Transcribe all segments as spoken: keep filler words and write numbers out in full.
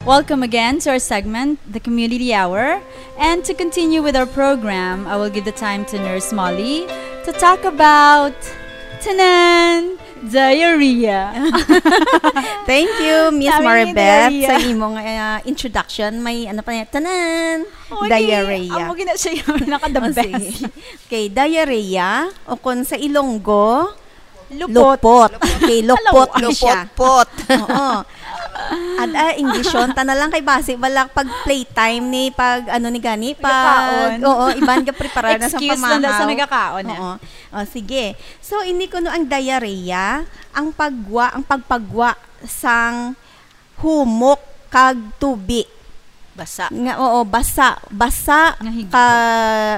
Welcome again to our segment, the Community Hour. And to continue with our program, I will give the time to Nurse Molly to talk about, tanan, diarrhea. Thank you, Miss Sabi ni Maribeth, diarrhea. Sa imong uh, introduction. May ano pa niya? Tanan! Oh, Diarrhea. Amo gina siya yung naka-the Oh, best. Sige. Okay, diarrhea, o kung sa Ilonggo, Lupot. lupot. Okay, lupot ni siya. Lupot-pot. Oo. At ah, English yun. Tana lang kay basi, wala pag playtime ni, pag ano ni gani, pag, Nagakaon. Oo, iban ka preparar na sa Excuse lang daw sa pamahaw. nagakaon, eh. Oo. Oh, sige. So, ini kuno ang diarrhea, ang pagwa, ang pagpagwa sang humok kag tubi. Basa. Nga, oo, basa, basa Nga higko. ka,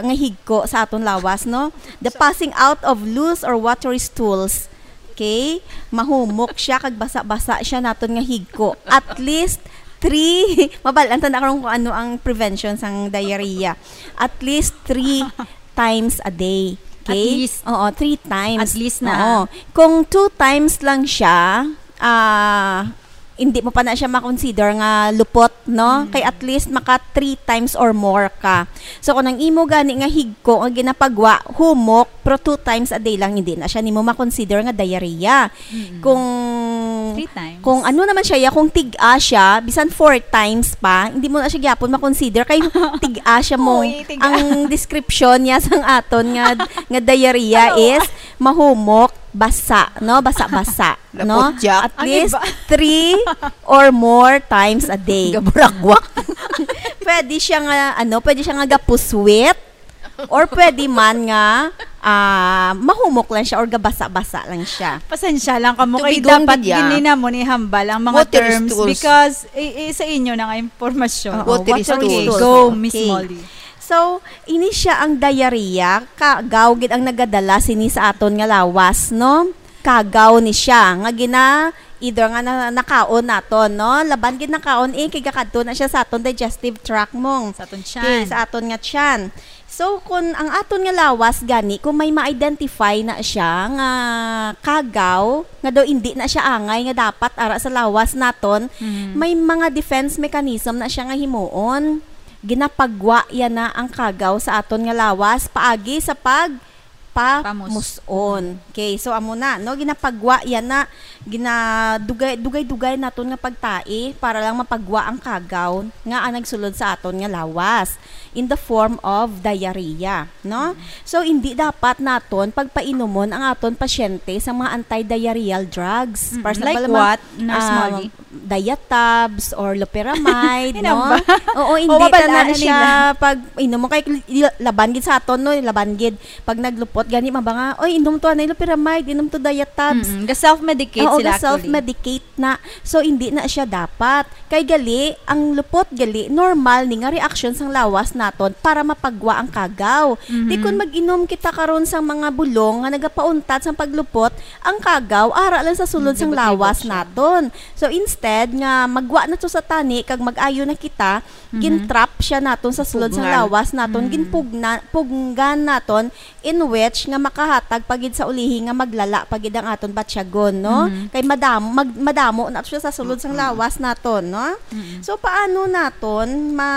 nga higko sa aton lawas, no? The passing out of loose or watery stools. Okay? Mahumok siya kag basa-basa siya naton nga higko. At least three, mabal-an ta na karon kung ano ang prevention sang diarrhea. At least three times a day. Okay? At least. Oo, three times. At least na. Oo. Kung two times lang siya, ah, hindi mo pa na siya makonsider nga lupot, no? Mm. Kay at least maka three times or more ka. So, kung ang imo gani nga higko nga ginapagwa, humok, pero two times a day lang, hindi na siya nimo makonsider nga diarrhea. Mm. Kung Three times. kung ano naman siya, ya, kung tig-a siya, bisan four times pa, hindi mo na siya gyapon makonsider kay tig-a siya mo. Uy, tig-a. Ang description niya sang aton nga nga diarrhea Ano? is mahumok, basa, no? Basa-basa, no? Lapot, Jack. At Ang least iba. three or more times a day. Gaburagwak. Pwede siya nga, ano, pwede siya nga gapuswit, or pwede man nga ah, mahumok lang siya or gabasa-basa lang siya. Pasensya lang kamo kay Tubigon dapat gid ya. Gini namon ihambal ang mga Water terms stools. Because i, i- sa inyo na nga impormasyon. Oo, Water water stools. stools. Go, Miss Okay. Molly. So, ini siya ang diarrhea, kagaw gid ang nagadala sini sa aton nga lawas, no? Kagaw ni siya nga gina either nga na, nakaon naton, no? Laban gid nakaon, eh, kay gakadto na siya sa aton digestive tract, mong. Sa aton Okay, tiyan. sa aton nga tiyan. So, kung ang aton nga lawas gani, kung may ma-identify na siya nga kagaw, nga daw hindi na siya angay nga dapat ara sa lawas naton, Mhm. may mga defense mechanism na siya nga himuon. Ginapagwa yan na ang kagaw sa aton nga lawas paagi sa pag pamuson. Okay, so amo na, no, ginapagwa yan na, ginadugay dugay-dugay naton nga pagtai para lang mapagwa ang kagaw nga ang nagsulod sa aton nga lawas in the form of diarrhea, no? So, hindi dapat naton pagpainumon ang aton pasyente sa mga anti-diarrheal drugs. Mm, For example, like mga, what, Nurse ah, Molly? Diatabs or loperamide, Inam no? ba? Oo, hindi O, ta na mabal-an na siya nila. Pag inom mo kay laban gid sa aton, no, laban gid pag naglupot gani mabanga, oy, inom to anay loperamide, inom to Diatabs. Mm-mm. Ga-self-medicate Oo, sila ga-self-medicate na. So, hindi na siya dapat. Kay gali, ang lupot gali, normal ni nga reaction sang lawas naton para mapagwa ang kagaw. Mhm. Di kun mag-inom kita karon sang mga bulong nga nagapauntat sang paglupot, ang kagaw ara lang sa sulod sang Libot-libot lawas siya. naton. So, instead nga magwa na to sa tani kag mag-ayo na kita, Mhm. gintrap siya naton sa sulod sang Pugngan. lawas naton, Mm. ginpugna, puggan naton, in which nga makahatag pa gid sa ulihi nga maglala pa gid ang aton batyagon, no? Mhm. Kay madam, mag, madamo na siya sa sulod sang lawas naton, no? Mm-mm. So, paano naton ma,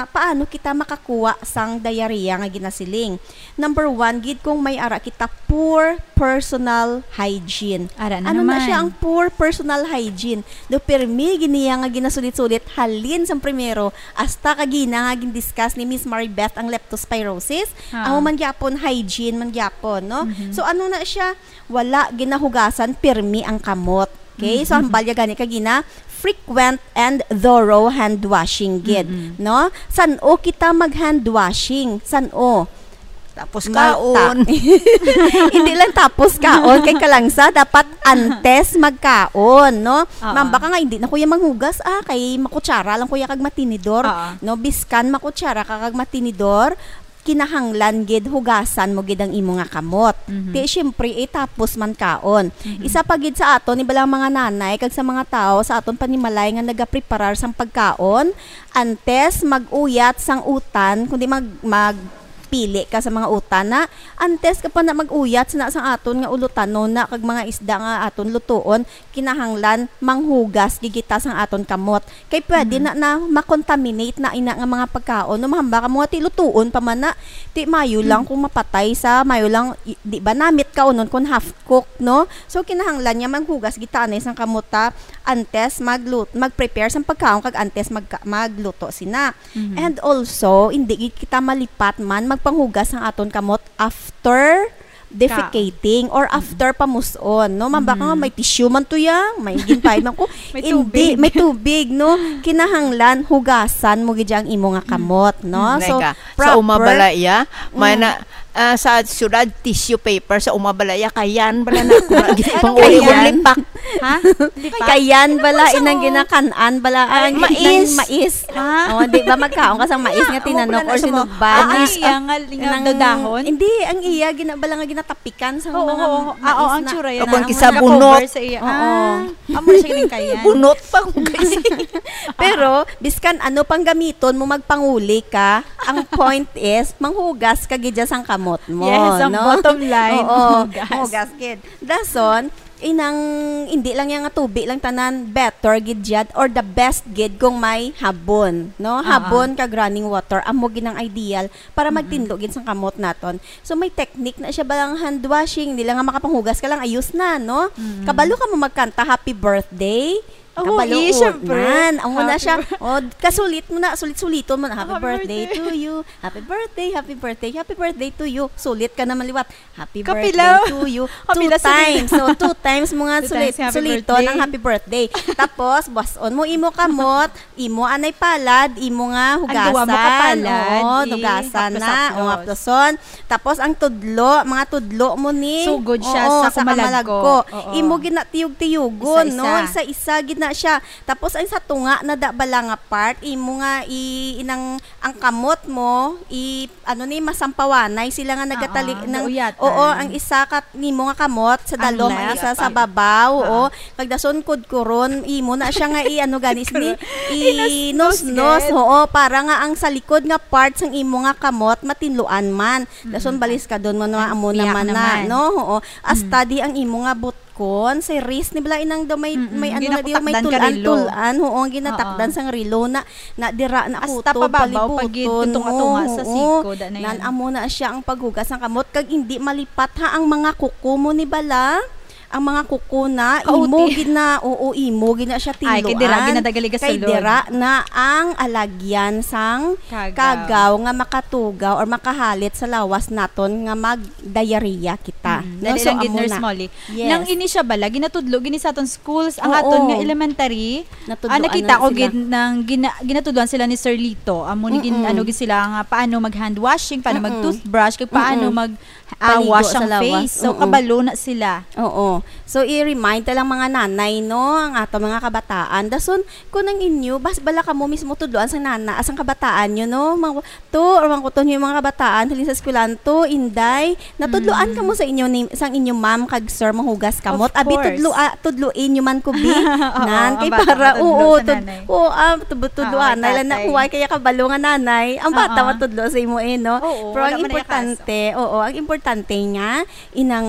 paano kita makakuha sang diarrhea nga ginasiling? Number one, gid kung may ara kita poor personal hygiene. Ara na Ano na naman. Siya ang poor personal hygiene? Do pirmi giniya nga ginasulit-sulit halin sang primero hasta kagina nga gindiscuss ni Miss Maribeth ang leptospirosis. Ah. Amo man gyapon hygiene man gyapon, no? Mhm. So ano na siya? Wala ginahugasan pirmi ang kamot. Okay? So ang balya gani kagina, frequent and thorough hand washing gid, Mm-mm. no? San-o kita mag hand washing? San-o? Tapos Ma-, kaon. ta-, hindi lang tapos kaon kay kalangsa, dapat antes magkaon, no? Oo. Ma'am, baka nga hindi na kuya manghugas, ah, kay makutsara lang kuya kag matinidor, Oo. no? Biskan makutsara ka kag matinidor, kinahanglan gid hugasan mo gid ang imo nga kamot. Mhm. Ti syempre, eh, tapos man kaon. Mhm. Isa pa gid sa aton, ibalang mga nanay kag sa mga tawo sa aton panimalay nga nagapreparar sang pagkaon, antes mag-uyat sang utan, kundi mag, mag pili ka sa mga utan na, antes ka pa na mag-uyat sa, sa aton nga ulutanon na kag mga isda nga aton lutuon, kinahanglan manghugas gid kita sang aton kamot. Kay pwede Mhm. na, na makontaminate na ina nga mga pagkaon. No, mahamba ka mo nga ti lutuon pa man na, ti mayo lang Mhm. kung mapatay sa, mayo lang, i-, di ba, namit ka unon kung half cook, no? So, kinahanglan niya manghugas gid ta anay sang kamot ta antes maglut-, mag-prepare sang pagkaon kag antes magka-, magluto sina. Mhm. And also, hindi gid kita malipat man magpanghugas sang aton kamot after defecating or Mm. after pamuson, no? Mamba ka nga, Mm. may tissue man to ya, may ginpay man ko. May Hindi, tubig. may tubig, no? Kinahanglan, hugasan mo gid ang imo nga Mm. kamot, no? Mm. So, Neka, sa uma proper bala iya, may Mm. na, ah, sa syudad, tissue paper, sa uma bala iya, kayan bala na, kung Anong pang-uli kayan? Lipak. Ha? Lipak? Kayan Ano bala, po sa inang mo? ginakan-an bala, Ay, ang mais. Inang mais. Ha? Oh, di ba, magkaon ka sang mais nga Nga, tinanok amo pala or na sa mo. sinugban Ah, na. Ang iya nga, nga Inang dadahon? Hindi, ang iya, gina-, bala nga ginatapikan sa Oo, mga oo. Ah, mais oo, ang na. tsura yan, O kung ah. Amo kisa na bunot. Cover sa iya. Oo. Ah, amo na siya ginikayan. Bunot pa kung kasi. Pero, biskan ano pang gamiton mo, magpanguli ka, ang point is, manghugas ka gid dyan sang kamot mo, Yes, ang no? bottom line, Oo, hugas. hugas gid. Dason, inang, hindi lang yan nga tubi lang tanan, better gid dyan, or the best gid kung may habon, no? Ah, Habon ah. kag running water, amo gid ang ideal para Mm-mm. magtinlo gid sang kamot naton. So, may technique na siya, balang hand washing, hindi lang nga makapanghugas ka lang, ayos na, no? Mm-mm. Kabalo ka mo magkanta, "Happy birthday." Oo, Kabalo, eh, syempre. nan. Amo na Happy siya. bir- Oh, kasulit mo na, sulit-suliton mo na, "Happy Happy birthday birthday. to you. Happy birthday, happy birthday, happy birthday to you." Sulit ka naman liwat. "Happy Kapila. birthday to you." Two Kapila sa times. So, two times mo nga Two sulit, times, happy suliton ang birthday. happy birthday. Tapos, buhason mo imo kamot, imo anay palad, imo nga Ang duwa mo hugasan. kapalad, Oo, eh, hugasan na. haplos-haplos. O, haploson. Tapos, ang tudlo, mga tudlo mo ni. Sugod siya Oo, sa sa kamalagko. kamalagko. Oo. Imo ginatiyog-tiyogon, no? Isa-isa. Isa-isa gid na siya. Tapos, ang sa tunga na da bala nga part, imo nga i-, inang, ang kamot mo, i-, ano ni, masampawanay sila nga nagatali-, Oo, nang, gauyatan. oo, ang isa ka nimo nga kamot sa Ang dalom, ang left. isa sa babaw, Oo. oo. Kag dason kudkuron, imo na siya nga i-, ano gani sini, Inusnos, inusnos, gid. oo, para nga ang sa likod nga part sang imo nga kamot matinluan man. Dason Mm. baliskadon mo na, Ang amo piyak naman na, naman. no? Oo. Hasta Mm. di ang imo nga butkon, sa wrist ni bala inang daw may, Mm-mm. may ano na di, may Ginakutakdan ka tulan, relo. tulan, oo, ang ginatakdan Oo. sang relo na, na dira na Hasta kutob, pababaw pa gid, palibuton, tunga-tunga oo, sa oo. siko, da na Nan yan. amo na siya ang paghugas ng kamot, kag hindi malipat ha ang mga kuko mo ni bala. Ang mga kuko na, Kauti. imo gid na, oo, imo gid na siya Ay, kay dira tinluan. gid na dagali Kay gasulod. dira na ang alagyan sang Kagaw. kagaw nga makatugaw or makahalit sa lawas naton nga mag-diarrhea kita. Mm, No? dali So, lang gid, amo Nurse na. Molly. Yes. Nang ini siya bala, ginatudlo gini sa aton schools, ang Oo. aton nga elementary, Natudloan ah, nakita na ko sila. gid nang gina-, ginatudloan sila ni Sir Lito. Amo ni gin-, Mm-mm. ano gid sila nga paano mag-hand washing, paano Mm-mm. mag-toothbrush, kag paano Mm-mm. mag-, ah, Paligo wash sa ang lawas. face. So, Mm-mm. kabalo na sila. Oo. So, i-remind ta lang mga nanay, no, ang ato mga kabataan. Dason, kung ang inyo, bas-, bala kamo mismo tudloan sang nana, sang kabataan nyo, no? Mga, to, or mga kuton yung mga kabataan, halin sa eskwelahan to, inday, natudloan Mm. kamo sa inyo ni, sang inyo ma'am kag sir, mahugas kamot. Of Abi, course. tudlo-, ah, tudloin nyo man ko, bi. Oo, Nan, kay ang bata para, matudlo oo, sa tud-, nanay. oo, ah, tud-, tudloan, Oo, nila na, tatay. huway kaya kabalo nga nanay, ang bata Oo. matudlo sa imo, eh, no? Oo, Pero wala ang man na importante, oo, ang importante nga, inang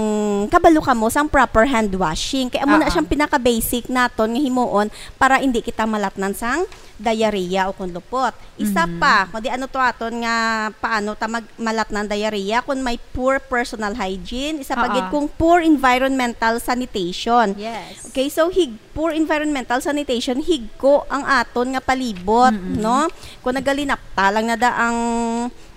kabalo kamo sang proper hand washing. Kay amo na Oo. siyang pinaka-basic naton nga himuon para hindi kita malatnan sang diarrhea o kung lupot. Isa Mhm. pa, kundi ano to aton nga paano ta mag-, malatnan diarrhea kung may poor personal hygiene, isa pa Oo. gid kung poor environmental sanitation. Yes. Okay, so hig-, poor environmental sanitation, higko ang aton nga palibot, Mm-mm. no? Kung nagalinapta lang na da ang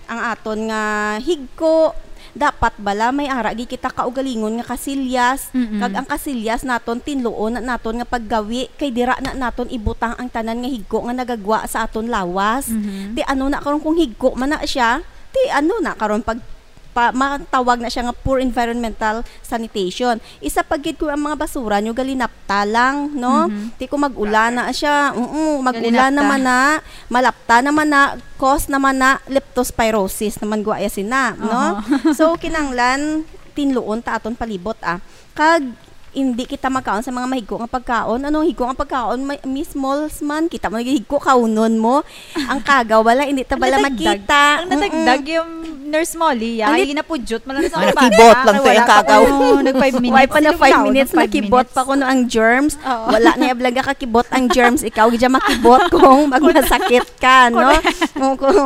ang aton nga higko, dapat bala may ara gid kita kaugalingon nga kasilyas, Mm-mm. kag ang kasilyas naton tinluon na naton nga paggawi, kay dira na naton ibutang ang tanan nga higko nga nagagwa sa aton lawas. Mhm. Ti ano na karon kung higko man na siya? Ti ano na karon pag pa, matawag na siya nga poor environmental sanitation. Isa pa gid kung ang mga basura nyo galinapta lang, no? Mhm. Ti kung mag-ulan na siya, oo, mag-ulan Galinapta. naman na, malapta naman na, cause naman na leptospirosis naman gwa ya sina, no? Aha. So, kinanglan, tinluon ta aton palibot, ah. Kag, hindi kita magkaon sa mga mahigko nga pagkaon. Ano, higko nga pagkaon, may, may smalls man, kita mo, higko, kaunon mo. Ang kagaw, wala, hindi ta bala Ang natagdag. makita. Ang natagdag Mm-mm. yung Nurse Molly, ya. Ang lit- Ay, napudyot man lang sa Ang akong nakibot bata. lang to Wala yung pa kagaw. ko, nag-five minutes. Why pa na Sino five ba? minutes, Nag-five nakibot minutes. pa ko no ang germs. Oo. Wala na yung blaga kakibot ang germs. Ikaw, dyan makibot kung magmasakit ka, no? Correct. Kung, kung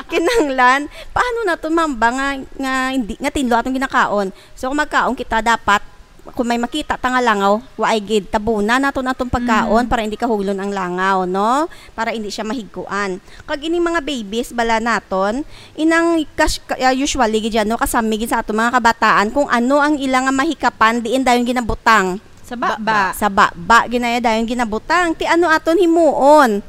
kinahanglan, paano na to, ma'am, ba nga, nga, hindi, nga tinlo atong ginakaon? So, kung magkaon kita, dapat kung may makita ta nga langaw, waay gid, tabunan naton atong pagkaon Mm. para hindi kahuglon ang langaw, no? Para hindi siya mahigkuan. Kag ining mga babies bala naton, inang kas-, ka-, ah, usually gid yan, no, kasami gid sa aton mga kabataan kung ano ang ila nga mahikapan diin dayon ginabutang. Sa baba. Sa baba, ginaya dayon ginabutang. Ti ano aton himuon?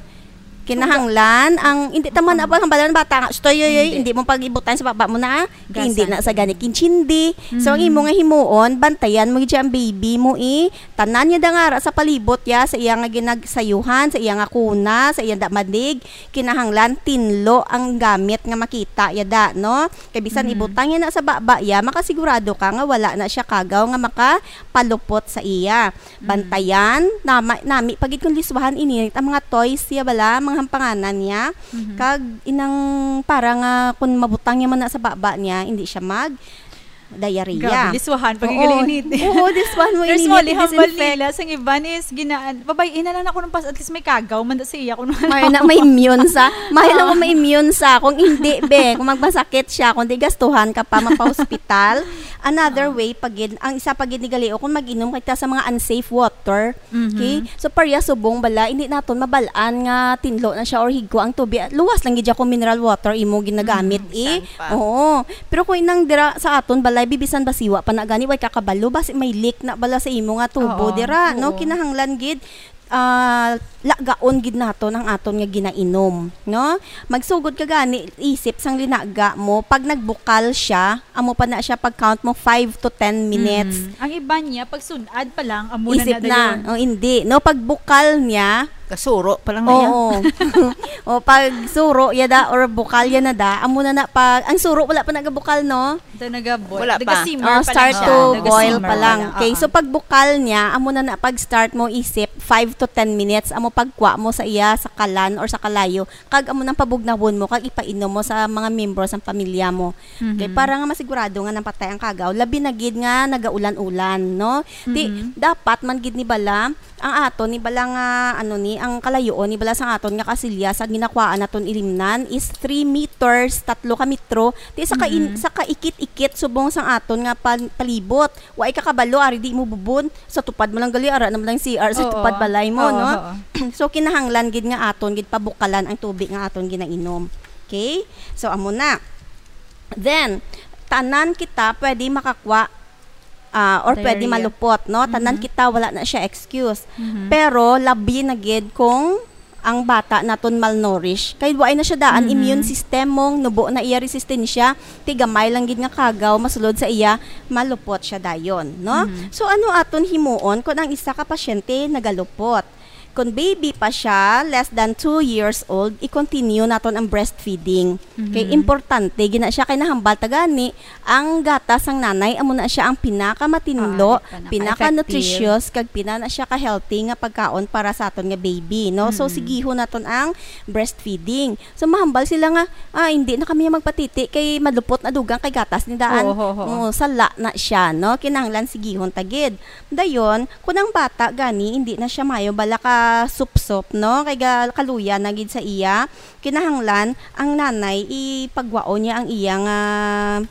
Kinahanglan ang, hindi ta man Suga. Abang hambalan bata nga, "Stoy, yoy, yoy, Hindi. hindi mo pag-ibutan sa baba mo na, ah." Hindi Gasan. na sa gani kinchindi. So, ang Mm. imo nga himuon, bantayan mo gid siya ang baby mo, eh. Tanan niya da nga ara sa palibot ya, sa iya nga ginagsayuhan, sa iya nga kuna, sa iya da madig, kinahanglan tinlo ang gamit nga makita ya da, no? Kay bisan Mm. ibutang niya na sa baba ya, makasigurado ka nga wala na siya kagaw nga makapalupot sa iya. Mm. Bantayan, nama-, nami pa gid kung liswahan ininit ang mga toys siya bala, mga hampanganan niya. Mhm. Kag inang para nga kung mabutang niya man na sa baba niya, hindi siya mag diarrhea. Grabe, liswahan, Oo. pag-iinit. Oo, liswahan mo, Nurse ininit, Molly, hambal disinfect. nila, sang iban is ginaan, babay-in na lang ako ng pas-, at least may kagaw, man sa iya, kung May na, may immune sa, may lang Oo. kung may immune sa, kung hindi, be, kung magmasakit siya, kung di gastuhan ka pa, mapa-hospital. Another Oo. way, pag, ang isa pag gali, o kung mag-inom ka sa mga unsafe water, Mhm. Okay? So, pareha subong bala, hindi naton mabalaan nga tinlo na siya or higko ang tubig. Luwas lang gid kung mineral water imo ginagamit, Mhm, eh. San pa? Oo. Pero kung inang dira sa aton balay, bibisan basiwa pa na gani, way kakabalo, basi may leak na bala sa imo nga tubo Oo, dira, no? oo. Kinahanglan gid, ah, lagaon gid naton ang aton nga ginainom, no? Magsugod ka gani, isip sang linaga mo, pag nagbukal siya, amo pa na siya pag-count mo, five to ten minutes. Mm. Ang iban niya, pag sun-ad pa lang, amo na Isip na na. dayon. O, hindi. No, pag bukal niya, Kasuro pa lang na yan. Oo. O, pag suro, yada, or bukal, yan na da. Amo na na pag, ang suro, wala pa nagabukal, no? Ito nagabot. Wala pa. Naga-simmer Oh, pa lang start siya. to Naga-simmer boil pa pa lang. lang. Okay, Oo. so pag bukal niya, amo na na pag start mo isip, five to ten minutes, amo pagkuha mo sa iya, sa kalan or sa kalayo, kag amo nang pabugnawon mo, kag ipainom mo sa mga membro sang pamilya mo. Kay Mhm. para nga masigurado nga napatay ang kagaw, labi na gid nga nagaulan-ulan, no? Ti, Mhm. dapat man gid ni bala, ang aton ni bala nga, ano ni, ang kalayoon ni bala sang aton nga kasilya sa ginakuhaan naton ilimnan is three meters, tatlo ka metro. Ti sa kain-, Mhm. sa kaikit-ikit subong sang aton nga pal-, palibot. Wa ikakabalo, ari di mo bubon. Sa tupad mo lang gali, ara naman lang C R sa Oo. tupad balay mo, Oo, no? oo. So, kinahanglan gid nga aton gid pabukalan ang tubig nga aton ginainom. Okay? So, amo na. Then, tanan kita pwede makakwa, ah, or pwede Diarrhea. malupot, no? Tanan Mhm. kita, wala na siya excuse. Mhm. Pero, labi na gid kung ang bata naton malnourished. Kay waay na siya daan Mhm. immune system mong nubo na iya resistensya, ti gamay lang gid nga kagaw masulod sa iya, malupot siya dayon, no? Mhm. So, ano aton himuon kung ang isa ka pasyente nagalupot? Kung baby pa siya, less than two years old, i-continue naton ang breastfeeding. Kay Mhm. importante gina siya, kay nahambal ta gani ang gatas sang nanay, amo na siya ang pinakamatinlo, Ah, pinaka-, pinaka-nutritious, kag pina na siya ka-healthy nga pagkaon para sa aton nga baby, no? So, Mm-mm. sigihon naton ang breastfeeding. So, mahambal sila nga, "Ah, hindi na kami magpatiti kay malupot na dugang kay gatas ni daan." Oo, oo, oo. Oh, sala na siya, no? Kinahanglan sigihon ta gid. Dayon, kun ang bata gani, hindi na siya mayo bala ka supsop, no? Kay ga-, kaluya na gid sa iya. Kinahanglan ang nanay ipagwaon niya ang iya nga,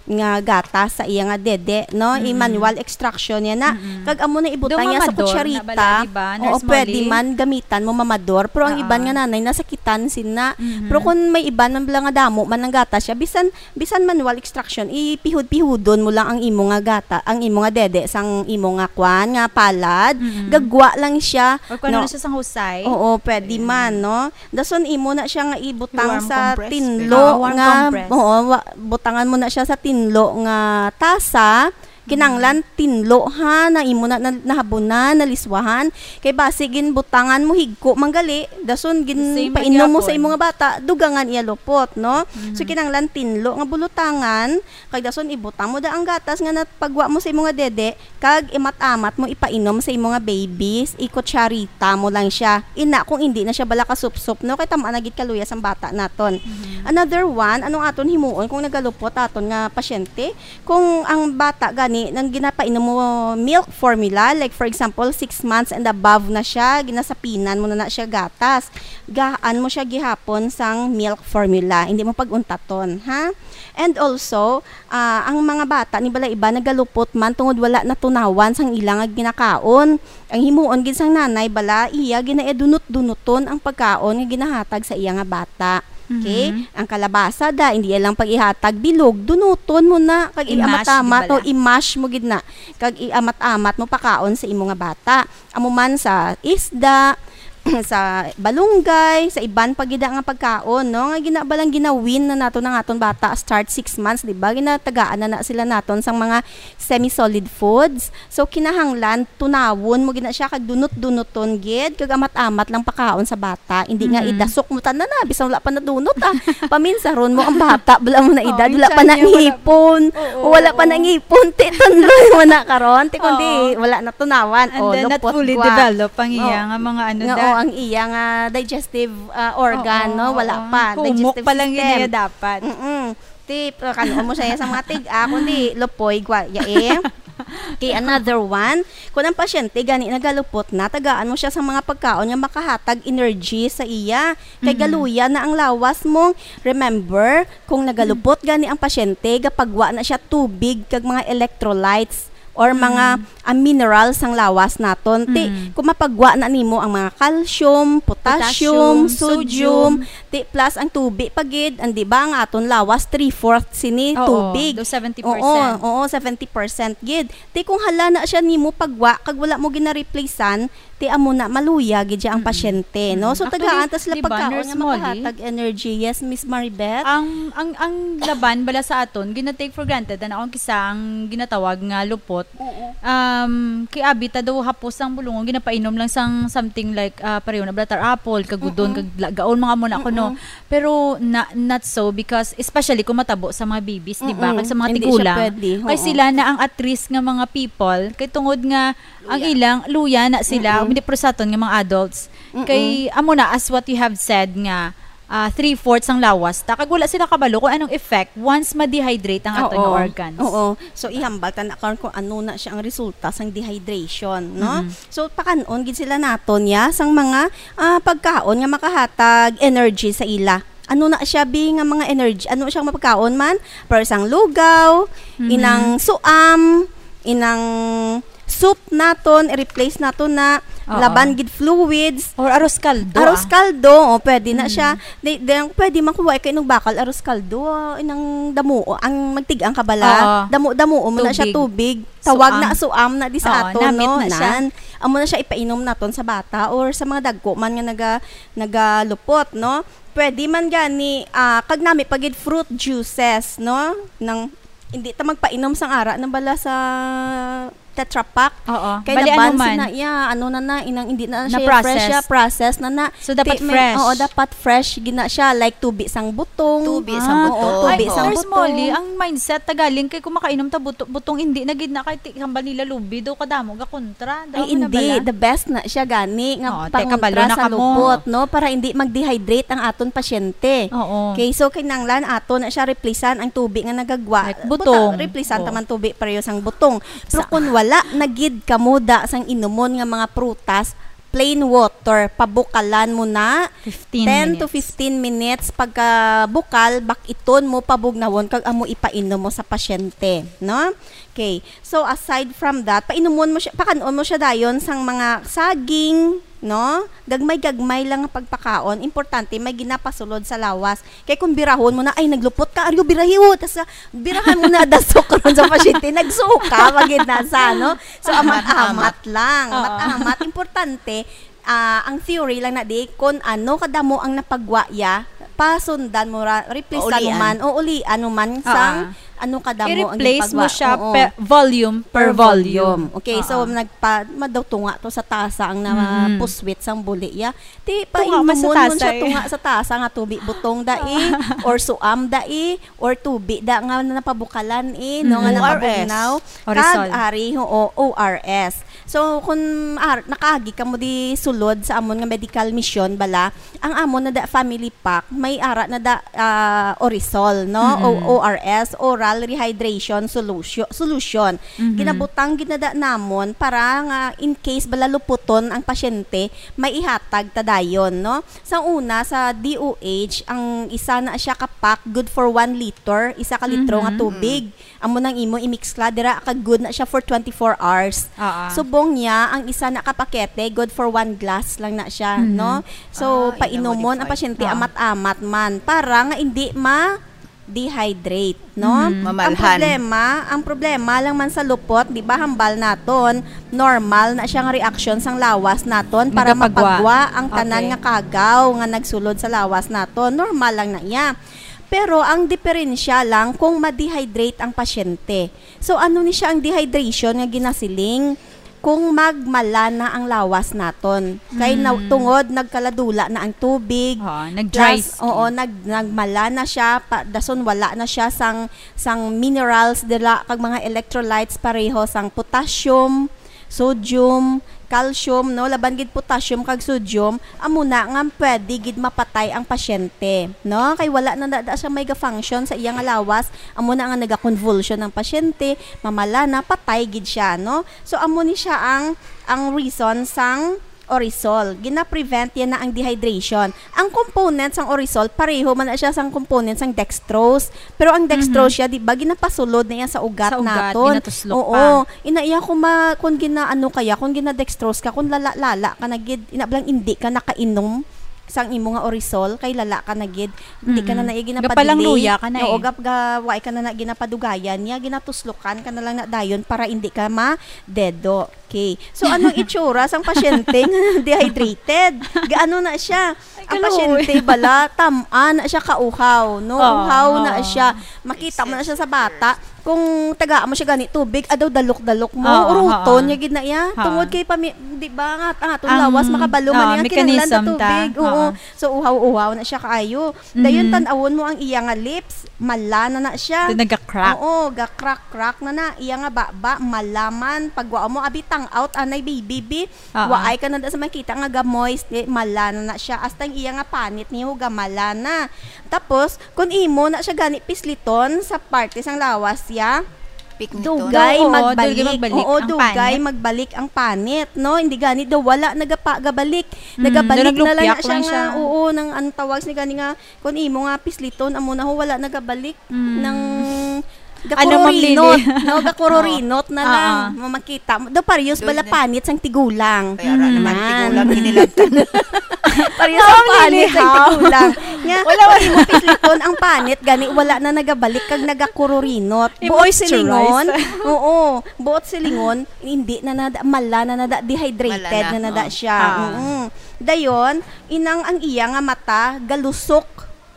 nga gatas sa iya nga dede, no? Mm-mm. I-manual extraction niya na. Mm-mm. Kag amo na ibutang niya sa kutsarita. Do mamador na bala, di ba, Nurse Molly? Oo, pwede man gamitan mo mamador, pero ang iban nga nanay nasakitan sina. Mm-hmm. Pero kung may iban man bala nga damo man ang gatas siya, bisan, bisan manual extraction, ipihud-pihudon mo lang ang imo nga gata, ang imo nga dede sang imo nga kwan, nga palad. Mm-hmm. Gagwa lang siya, no? Or kung ano na siya sang husay. Oo, pwede man, no? Dason imo na siya nga ibutang Warm sa compress. tinlo Warm nga, compress. Oo, wa-, butangan mo na siya sa tinlo nga tasa, Kinanglan tinlo, ha, na imo na, na nahabunan, naliswahan. Kay basi ginbutangan mo higko man gali, dason gin Same painom mo sa gyapon. Imo nga bata, dugangan iya lupot, no? So, Mhm. Kinanglan tinlo nga bulutangan, kag dason ibutang mo da ang gatas nga napagwa mo sa imo nga dede, kag imat-amat mo ipainom sa imo nga babies, ikutsarita mo lang siya. Ina, kung hindi na siya bala kasupsop, no? Kay tama na gid kaluya sang bata naton. Mhm. Another one, anong aton himuon kung nagalupot aton nga pasyente? Kung ang bata gani, nang ginapainom mo milk formula, like for example, six months and above na siya, ginasapinan mo na na siya gatas, gaan mo siya gihapon sang milk formula. Hindi mo pag-untaton, ha? And also, ah, ang mga bata ni bala iba nagalupot man tungod wala natunawan sang ila nga ginakaon. Ang himuon gid sang nanay bala, iya ginaedunot-dunuton ang pagkaon nga ginahatag sa iya nga bata. Okay? Mhm. Ang kalabasa da, hindi lang pag-ihatag bilog, dunuton mo na, kag I-mash, iamatamat, di ba o la? I-mash mo gid na, kag iamat-amat mo pakaon sa imo nga bata. Amo man sa isda, sa balunggay, sa iban pa gid nga pagkaon, no? Nga gina-, balang ginawin na nato ng aton bata start six months, di ba? Ginatagaan na, na sila naton sang mga semi-solid foods. So, kinahanglan, tunawon mo gid na siya, kag dunot-dunoton gid, kag amat-amat lang pakaon sa bata. Hindi nga Mhm. idasok mo tanan na, bisan wala pa nadunot, ah. Paminsaron mo ang bata, wala mo na Oo, edad, yung wala pa tiyan na niya, wala pa. Ngipon. Oo, Wala pa na oo. Ngipon, ti, tunloy mo na karon, ti, kundi Oo. wala na tunawan. And O, then, not lupot fully gwa. developed ang iya Oo. nga mga ano Nga, da. o, ang iya nga digestive, ah, organ, Oo, no? Wala oo. pa. Humok Digestive pa lang system. Yun iya dapat. Mm-mm. Tip, uh, kanon mo siya sa mga tig-a, kundi lupoy, gwa, ya, eh. Okay, another one. Kung ang pasyente gani nagalupot na, tagaan mo siya sa mga pagkaon nga makahatag energy sa iya. Kay Mm. galuya na ang lawas mo. Remember, kung nagalupot gani ang pasyente, gapagwa na siya tubig kag mga electrolytes or mga, Mm. ah, minerals sang lawas naton. Ti, Mm. kung mapagwa na nimo ang mga calcium, potassium, Potassium, sodium, sodium. Ti, plus ang tubi pa gid, ang, di ba, ang aton lawas, three-fourth sini Oo, tubig. do seventy percent. Oo, oo, seventy percent gid. Ti, kung hala na siya nimo pagwa, kag wala mo ginareplacean, ti, amo na, maluya gid siya ang Mm. pasyente, no? Mm. So, Actually, tagaan ta sila di ba, pagkaon Nurse nga Molly? makahatag energy. Yes, Miss Maribeth? Ang, ang, ang laban bala sa aton, gina-take for granted, ano, ang kisa ang ginatawag nga lupot. Oo. Um, kay abi ta daw hapos ang bulungon, ginapainom lang sang something like, ah, pareho na bala tar apple, kagudon, Mm-mm. kag la-, gaon, mga amo na kuno. Mm-mm. Pero na, not so, because especially kung matabo sa mga babies, di ba? Mm-mm. Kag sa mga Hindi siya tigulang. pwede. Kay Oo. sila na ang at risk nga mga people, kay tungod nga ang Luya. ilang luya na sila, Mm-mm. hindi pero sa aton nga mga adults. Mm-mm. Kay amo na, as what you have said nga, ah, three-fourths ang lawas ta, kag wala sila kabalo kung anong effect once ma-dehydrate ang aton nga Oo. organs. Oo. So, ihambal ta na karon kung ano na siya ang resulta sang dehydration, no? Mhm. So, pakan-on gid sila naton, ya, sang mga, ah, pagkaon nga makahatag energy sa ila. Ano na siya, bi, nga mga energy? Ano siya nga mapagkaon man? Pero sang lugaw, Mhm. inang suam, inang soup naton, i-replace naton na Oo. laban gid fluids. Or arroz caldo, Arroz ah. caldo, oh, pwede na Mm. siya. Di, di, pwede man kung wa kay inog bakal, arroz caldo, ah, inang damo, ang magtig-ang ka bala, Oo. damo-damo mo na siya, Tubig. tubig. Tawag Suam. na suam na di sa Oo, aton, namit no? na siya. Nan. Amo na siya ipainom naton sa bata or sa mga dagko man nga naga-, nagalupot, no? Pwede man gani, ah, kag nami pa gid fruit juices, no? Nang, hindi ta magpainom sang ara nang bala sa Tetra Pak. Oo. Kay Bali, naban ano man. sina, ya, ano na na, inang, hindi na siya Na-process. fresh, ya, process na na. So, dapat Ti-, may, fresh. oo, dapat fresh gina siya, like tubi sang butong. Tubi sang Ah, butong. oo, tubi Ay, sang Nurse butong. Molly, ang mindset ta galing kay kung makainom ta buto-, butong, hindi na gid na kay ti-, hambal nila lubi, do kadamo ga kontra. Ay, Damo na hindi. bala. The best na siya gani nga Oo, te, pangontra kabalo na sa kamo. lupot, no? Para hindi mag-dehydrate ang aton pasyente. Oo. Okay, so kinahanglan ato na siya replacean ang tubi nga nagagwa. Like Buta-, butong. replacean Oo. ta man tubi pareho sang butong. Pero Sa- kung wala na gid kamo da sang inumon nga mga prutas, plain water, pabukalan mo na Fifteen ten to minutes. fifteen minutes. Pagka bukal, bak-iton mo, pabugnawon, kag amo ipainom mo sa pasyente, no? Okay. So, aside from that, painumon mo siya, pakan-on mo siya dayon sang mga saging, no? Gagmay-gagmay lang nga pagpakaon. Importante, may ginapasulod sa lawas. Kay kung birahon mo na, "Ay, naglupot ka, aryo, birahi, oh." Tas, ah, birahan mo na, dasok karon sa pasyente, nagsuka, magid na sa, no? So, Amat-amat. amat-amat lang. Oo. Amat-amat. Importante, ah, ang theory lang na di, kung ano kadamo ang napagwa ya, pasundan mo ra, replace mo Paulian. man, o ulian mo man Oo. sang, ano kadamo ang I-replace mo ginpagwa-, siya oo, per volume, per per volume. volume. Okay, so Oo. nagpa-, madaw tunga to sa tasa ang Mm. napuswit sang buli iya. Ti pa Tunga man sa inunon siya tasa, eh. tunga sa tasa nga tubi butong dai, or suam dai, or tubi da nga napabukalan, eh, no, nga Mm. O R S. napabugnaw. Orisol. Kag ari, oo, O R S. So, kung ar-, nakaagi kamo di sulod sa amon nga medical mission, bala, ang amon na da family pack, may ara na da, ah, Orisol, no? O, Mm. O R S, Oral Rehydration Solution, Solution. Mhm. Ginabutang gid na da namon para nga in case bala luputon ang pasyente, may ihatag ta dayon, no? Sa una, sa D O H, ang isa na siya ka pack, good for one liter, isa ka litro nga Mhm. tubig. Amo nang imo i-mix la dira, kag good na siya for twenty-four hours. Oo. Subong niya, ang isa na ka pakete, good for one glass lang na siya, Mhm. no? So, Ah, painomon ang ina-modify. pasyente Oo. amat-amat man para nga hindi ma-dehydrate, no? Mhm. Ang Mamalhan. problema, ang problema lang man sa lupot, di ba, hambal naton, normal na siya nga reaksyon sang lawas naton para Nagapagwa. mapagwa ang tanan Okay. nga kagaw nga nagsulod sa lawas naton. Normal lang na iya. Pero ang diferensya lang kung ma-dehydrate ang pasyente. So, ano ni siya ang dehydration nga ginasiling? Kung magmala na ang lawas naton. Kay na-, Mm. tungod nagkaladula na ang tubig. Oo, nag-dry Plus, skin. oo, nag-, nagmala na siya, pa, dason wala na siya sang, sang minerals dira kag mga electrolytes pareho sang potassium, sodium, calcium, no? Laban gid potassium kag sodium, amo na nga pwede gid mapatay ang pasyente, no? Kay wala na da, da siya may ga-function sa iya nga lawas, amo na nga nagakonvulsion ang pasyente, mamala na, patay gid siya, no? So, amo ni siya ang, ang reason sang Orisol. Gina-prevent yan na ang dehydration. Ang component sang Orisol, pareho man na siya sang component sang dextrose. Pero ang dextrose Mhm. siya, di ba, ginapasulod na yan sa ugat Sa ugat, naton. ginatuslok Oo. pa. Ina iya kung ma-, kung gina-, ano kaya, kung gina-dextrose ka, kung lala-lala ka na gid, ina bala hindi ka nakainom sang imo nga Orisol, kay lala ka na gid, hindi ka na Mm-mm. na iya ginapadilig. Gapalang luya ka na Oo, eh. gap-, ga-, wala ka na na ginapadugayan niya, ginatuslokan ka na lang na dayon para hindi ka ma-dedo. Okay. So, anong itsura sang pasyente nga dehydrated? Gaano na siya? Ay, Ang kaluoy. pasyente bala, tam-an na siya kauhaw, no? Oo, Uhaw na oo. siya. Makita mo na siya sa bata. Kung tagaan mo siya gani tubig, adaw dalok-dalok mo. Oo, Uruton oo. niya gid na iya. Oo. Tungod kay pami-, di ba, nga, ang atong Ang, lawas, makabalo man oo, niya, kinahanglan sa mechanism ta. tubig. Oo. Oo. So, uhaw-uhaw na siya kaayo. Dayon, Mhm. tan-awon mo ang iya nga lips, mala na na siya. Ito, nagka-crack. Oo, ga-crack-crack na na. Iya nga baba, mala man. Pagwa mo, abi, tang-out, anay, baby, bi. Oo. Waay ka na da sa makita nga ga-moist, eh, mala na na siya. Hasta ang iya nga panit niyo, gamala na. Tapos, kung imo na siya gani pisliton sa parte sang lawas, ya, Pikniton. dugay Oo, magbalik. dugay magbalik Oo, ang dugay panit. magbalik ang panit, no? Hindi gani daw wala nagapa-, gabalik. Mm, Nagabalik daw na lang na naglupyak siya lang nga, siya. oo, nang ang tawag ni gani nga, kung imo nga pisliton, amo na ho, wala nagabalik Mm. ng Ano, Ma'am gakururinot, Lily? no? Gakururinot na Oo. lang. Mamakita mo. Do, parehas Doon bala na. panit sang tigulang. Kaya ra naman, Mm. tigulang inilantan. Parehas ang Ma'am panit Lily, sang how? tigulang. Nga, Wala, wala. pag imo pisliton ang panit, gani, wala na nagabalik kag nagakururinot. Buot I-moisturize. silingon, oo, buot silingon, hindi na nada, mala na nada, dehydrated Mala na. na nada Oh. siya. Ah. Mm-mm. Dayon, inang ang iya nga mata, galusok,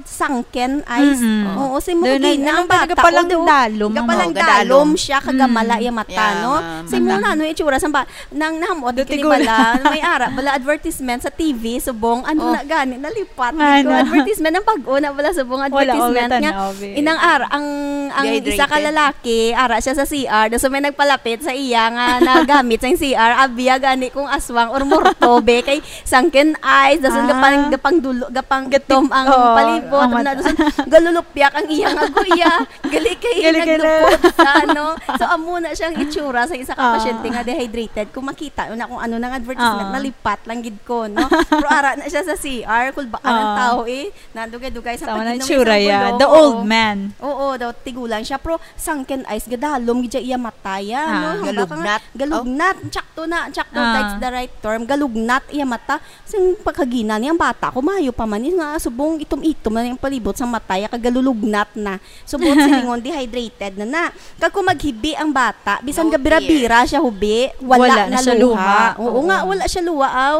sunken eyes. Mm-mm. Oo, si Doon Mugina, na, ang ano, bata, gapalang o, do-, dalom, gapalang Oo, dalom gadalom. siya, kagamala Mm. iya mata, Yeah, no? ma'am. Si Muna, Mata. ano, itsura sa ba-, nang nahamot Dati gid ko bala, may ara, bala advertisement sa T V, subong, ano Oh. na gani, nalipat Ano? gid ko, advertisement, ang bag-o na bala, subong Wala ko advertisement nga, gatanaw, eh. inang ara, ang, ang isa ka Dehydrated. lalaki, ara siya sa C R, daw so may nagpalapit sa iya nga nagamit sa C R, abiya gani kung aswang or morto, be, kay sunken eyes, dason Ah. gapang, gapang dulo, gapang Gatik-, gitom ang oo, palibot, ang na, mata. dason galulupyak ang iya nga guya. Gali kay Gali kay na. naglupot sa, ano. So, amo na siyang itsura sa isa ka Ah. pasyente nga dehydrated. Kung makita mo na kung ano nang advertisement, Ah. nalipat lang gid ko, no? Pero ara na siya sa C R, kulbaan ang Ah. tao, eh. Nadugay-dugay sa Tama na pag-inom itsura, sa yeah. gulo. The old Oo. man. Oo, daw tigulang siya. Pero sunken eyes, gadalom gid siya iya mata, ya, Ah. no? Hambal ka nga, Galugnat. galugnat. Oh. Tsakto na, tsakto, Ah. that's the right term. Galugnat iya mata. Sing pagkagina niya, ang bata ko, maayo pa man, eh, nga subong itom-itom na yung palibot sa mata, ya, kag galulugnat na. Subong silingon, dehydrated na na. Kag kung maghibi ang bata, bisan No gabira-bira tears. siya hubi, wala Wala na na siya luha. luha. Oo Oo. nga, wala siya luha, aw.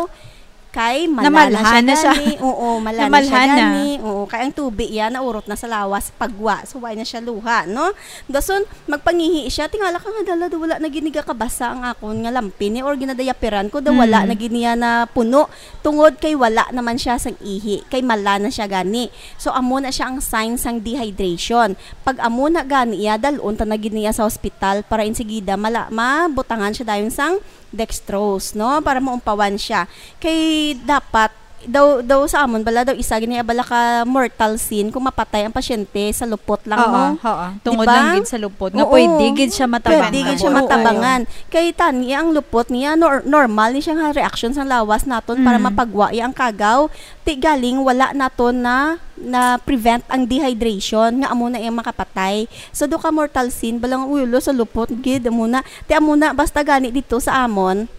Kay mala na siya gani. Oo, mala na siya gani. Oo, kay ang tubi iya naurot na sa lawas, pagwa. So, wala na siya luha, no? Dason, magpangihi siya. Tingala ka nga, dala, wala na gid ni gakabasa ang akon nga lampin, eh, or ginadayaperan ko, daw wala na gid niya na puno. Tungod kay wala naman siya sang ihi, kay mala na siya gani. So, amo na siya ang sign sang dehydration. Pag amo na gani iya, dalon ta na gid niya sa hospital para insigida mala-, mabutangan siya dayon sang dextrose, no? Para maumpawan siya. Kay dapat, daw, daw sa amon, bala daw isa gini, bala ka mortal sin kung mapatay ang pasyente sa lupot lang, Oo, no? Oo. Tungod Di ba? lang gid sa lupot. Nga Oo. pwede gid siya matabangan. Pwede gid siya Oo. matabangan. Kay tani, ang lupot niya, nor-, normal ni siya nga reaction sa lawas naton para Mm. mapagwa iya ang kagaw. Ti galing, wala naton na, na prevent ang dehydration, nga amo na iyang makapatay. So, do ka mortal sin, balang ulo sa lupot, gid, amo na. Ti amo na, basta gani dito sa amon,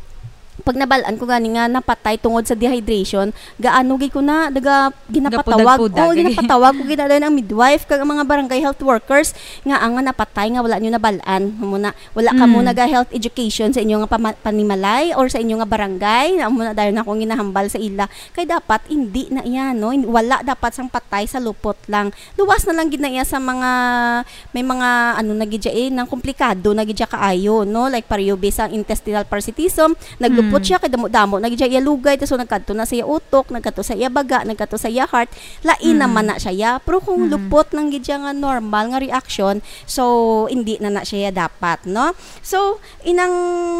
pag nabalaan ko gani nga napatay tungod sa dehydration, gaano gid ko na, daga, ginapatawag. Gapudag-pudag, Oh, eh. ginapatawag ko gid na ang midwife, kag ang mga barangay health workers, nga ang nga napatay, nga wala nyo nabalaan. Amo na, wala kamo Mm. naga health education sa inyo nga pama-, panimalay or sa inyo nga barangay, na amo na dayon akong ginahambal sa ila. Kay dapat, hindi na iya, no? Hin-, wala dapat sang patay sa lupot lang. Luwas na lang gid na iya sa mga, may mga, ano na gid siya eh, nang komplikado na gid siya kaayo, no? Like, parehas sa intestinal parasitism, naglupot Mm. siya, kay damo-damo na gid siya iya lugay, tas so nagkadto na sa iya utok, nagkadto sa iya baga, nagkadto sa iya heart, lain Mm. naman na siya iya. Pero kung Mm. lupot lang gid siya nga normal nga reaction, so, hindi na na siya iya dapat, no? So, inang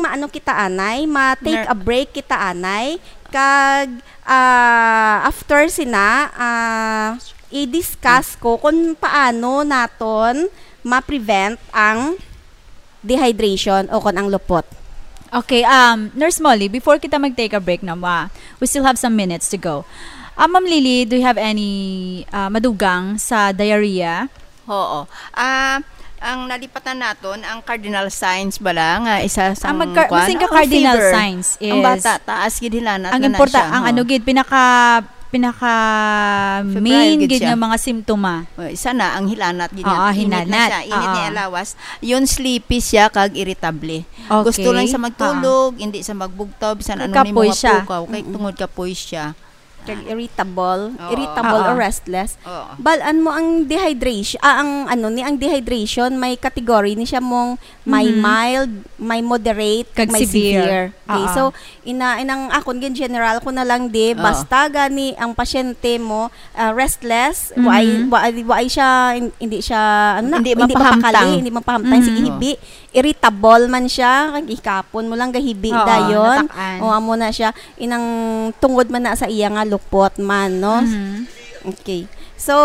maano kita anay, ma-take Ner- a break kita anay, kag, ah, after sina, ah, i-discuss ko kung paano naton ma-prevent ang dehydration o kon ang lupot. Okay, um, Nurse Molly, before kita mag-take a break, no, ma, we still have some minutes to go. Ah, Ma'am Lily, do you have any, ah, madugang sa diarrhea? Oo. Ah, ang nalipatan naton, ang cardinal signs bala, nga isa sa Ang magka-, kwan, basin ka ang cardinal fever. signs Ang is bata, taas gid hilanat ang na na importa-, siya, ang ho. ano gid, pinaka, pinaka Febrile main gid gid siya. nga mga simptoma. Oh, isa na, ang hilanat gid niya. Oo, Init na hilanat. siya. Init Oo. niya lawas. Yun, sleepy siya, kag irritable. Okay. Gusto lang siya magtulog, Oo. hindi siya magbugtaw, bisan ano Kapoy ni mga siya. pukaw, kay Mm-mm. tungod kapoy siya. Kag irritable, Oo. irritable Oo. or restless. Oo. Balaan mo ang dehydration, ah, ang ano ni, ang dehydration, may category ni siya mong may Mhm. mild, may moderate, Kag may severe. severe. Okay, Oo. so, ina-, inang akon gin general ko na lang di, Oo. basta gani ang pasyente mo, ah, restless, Mhm. waay, waay, waay siya, hin-, hindi siya, ano na, Hindi hindi mapahamtang. mapakali, hindi mapahamtang, Mhm. sige, hibi. Irritable man siya, kag ikapon mo lang gahibi Oo, dayon. natak-an. O, amo na siya. Inang tungod man na sa iya nga lupot man, no? Mhm. Okay. So,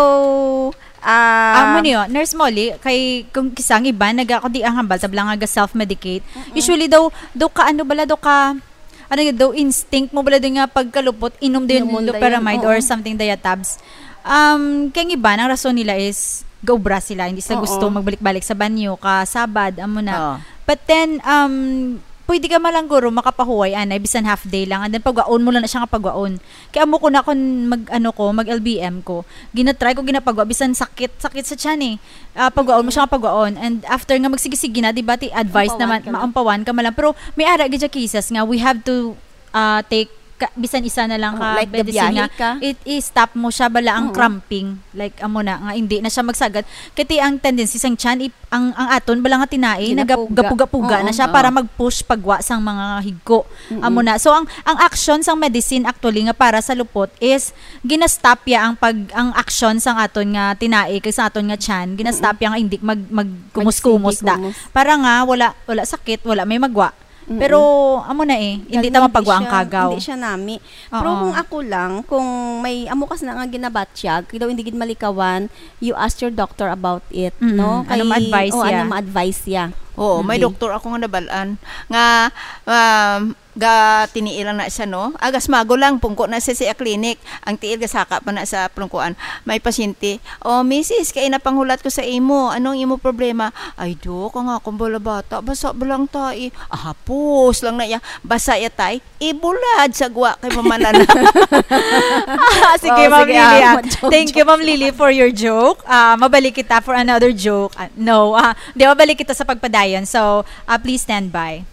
ah, Amo niyo, Nurse Molly, kay kung kisang iba, naga-, kundi ang hambal, sabla nga ga-self-medicate. Mm-mm. Usually daw, daw ka, ano bala, daw ka, ano yun, daw instinct mo bala din nga pagkalupot, inom din Inom mo loperamide dayon, or oo. something, Diatabs. Um, kay ang iba, ang rason nila is gaubra sila, hindi sila Oo. gusto magbalik-balik sa banyo, ka Sabad, amo na. Oo. But then, um, pwede ka man lang guro makapahuway, anay, bisan half day lang, and then pagwaon mo lang na siya nga pagwaon. Kay amo ko na, kung mag, ano ko, mag L B M ko, ginatry ko, ginapagwa, bisan sakit, sakit sa tiyan eh. Ah, pagwaon mo siya nga pagwaon. And after nga magsige-sige na, di ba, ti advice Mampawan naman, ka na. maampawan ka man lang. Pero may ara gid siya cases nga we have to, ah, take ka, bisan isa na lang Oh, ka like, medicine gabiyahe nga ka. it, i-stop mo siya bala ang Oo. cramping. Like, amo na, nga hindi na siya magsagad. Kay ti ang tendency sang tiyan, i-, ang, ang aton bala nga tinai, Ginapuga. nagap-, gapuga-puga Oo. na siya Oo. para mag-push pagwa sang mga higko. Mm-mm. Amo na. So, ang, ang action sang medicine actually nga para sa lupot is gina-stop ya ang pag, ang action sang aton nga tinai kag sa aton nga tiyan, gina-stop Mm-mm. ya nga hindi mag, magkumus-kumus Magsige da. kumus. Para nga wala, wala sakit, wala may magwa. Mm-mm. Pero amo na eh, hindi Kag ta hindi mapagwa ang siya, kagaw. hindi siya nami. Pero Oo. kung ako lang, kung may amo kas na nga ginabatyag, kay daw hindi gid malikawan, you ask your doctor about it, Mm-mm. no? Ano Kay, ma-advise oh, siya? ano ma-advise siya? Oo, may Okay. doktor ako nga nabalaan nga, um, ga tiniilan na siya, no? Agas mago lang, pungko na siya sa clinic. Ang tiil gasaka pa na sa plungkuan. May pasyente, "Oh, misis, kay napanghulat ko sa imo. Anong imo problema?" "Ay, Dok, ang akong bala bata, basa ba lang tai?" Ahapos lang na iya. Basa ya tai, ibulad sa gwa kay mamanan. Ah, sige, Wow, Ma'am sige, Lily, ah, ah. ma-joke, Thank you, joke Ma'am lang. Lily, for your joke. Ah, mabalik kita for another joke. Ah, no, ah, di, mabalik kita sa pagpadayon. So, ah, please stand by.